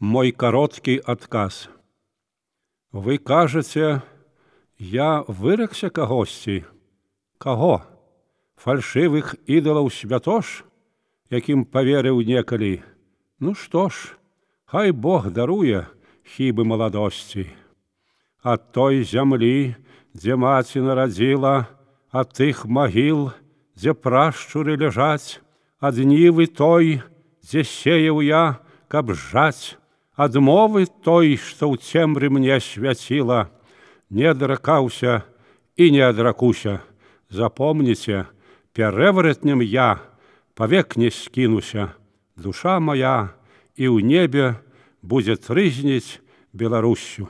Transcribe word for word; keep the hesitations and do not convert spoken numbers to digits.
Мой короткий отказ. Вы кажаце, я выракся кагосьці? Каго? Фальшывых ідалаў святош, якім паверыў некалі? Ну што ж, хай Бог даруе хібы маладосці. Ад той зямлі, дзе маці нарадзіла, ад тых магіл, дзе прашчуры ляжаць, ад нівы той, дзе сеяў я, каб жаць, ад мовы той, што ў цемры мне свяціла, не адракаўся і не адракуся. Запомніце, перэваратнем я павек не скінуся. Душа моя і ў небе будзе трызніць Беларуссю.